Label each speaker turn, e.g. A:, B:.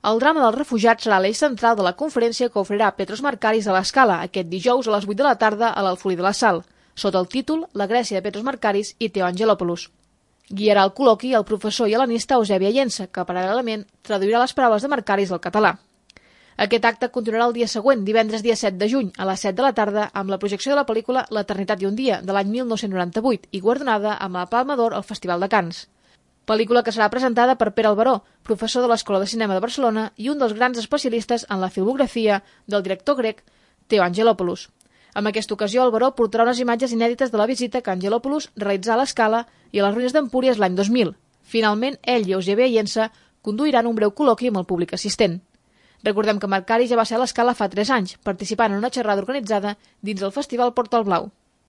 A: El drama dels refugiats serà l'eix central de la conferència que oferirà Petros Markaris a l'Escala aquest dijous a les 8 de la tarda a l'Alfolí de la Sal, sota el títol La Grècia de Petros Markaris i Theo Angelopoulos. Guiarà el col·loqui el professor i helenista Eusebi Llença, que paral·lelament traduirà les paraules de Markaris al català. Aquest acte continuarà el dia següent, divendres dia 7 de juny, a les 7 de la tarda, amb la projecció de la pel·lícula L'Eternitat i un dia, de l'any 1998, i guardonada amb la Palma d'Or al Festival de Canes. Pel·lícula que serà presentada per Pere Alberó, professor de l'Escola de Cinema de Barcelona i un dels grans especialistes en la filmografia del director grec Theo Angelopoulos. En aquesta ocasió, Alberó portarà unes imatges inèdites de la visita que Angelopoulos realitzà a l'Escala i a les ruïnes d'Empúries l'any 2000. Finalment, ell i Eusebi Llença conduiran un breu col·loqui amb el públic assistent. Recordem que Markaris ja va ser a l'Escala fa 3 anys, participant en una xerrada organitzada dins el Festival Portal Blau.